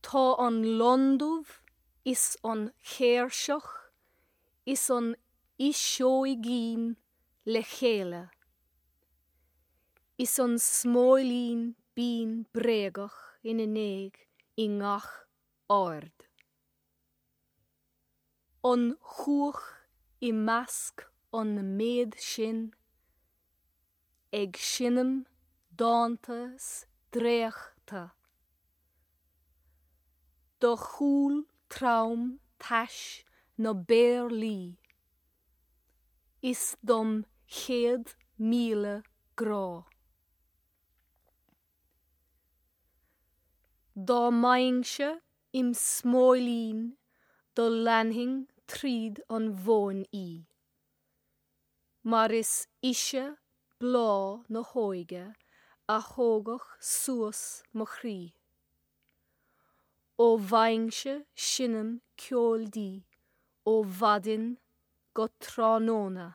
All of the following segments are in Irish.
Tá an londubh is an chéirseach is an fhuiseoigín le chéile, is an smóilín binn bréagach ina ndiaidh i ngach aird. An chuach i measc an méid sin ag seinm dánta 's dréachta. Do chúl trom tais na bpéarlaí is dom 100,000 grá. Dá mbeinnse im smóilín do leanfainn tríd an mhóin í, mar is ise bláth na hóige a thógfadh suas mo chroí. Ó bheinnse seinm ceoil di ó mhaidin go tráthnóna.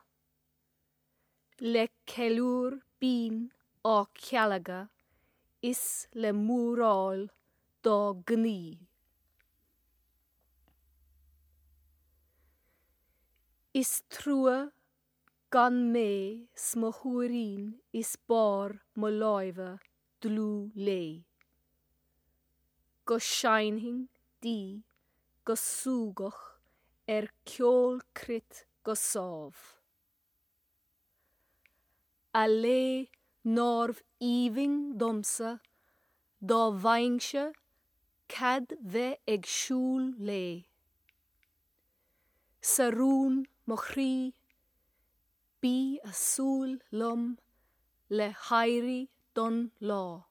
Le ceiliúr binn á cealagadh is le múráil dá gnaoi. Is trua gan mé 's mo shúirín is barr mo láimhe dlúth léi. Go seinnfinn di go súgach ar ceol cruit go sámh. A lé nárbh aoibhinn domsa dá bhfaighinnse cead bheith ag siúl léi. 'S a rún mo chroí, bí a' súil liom le héirí don lá.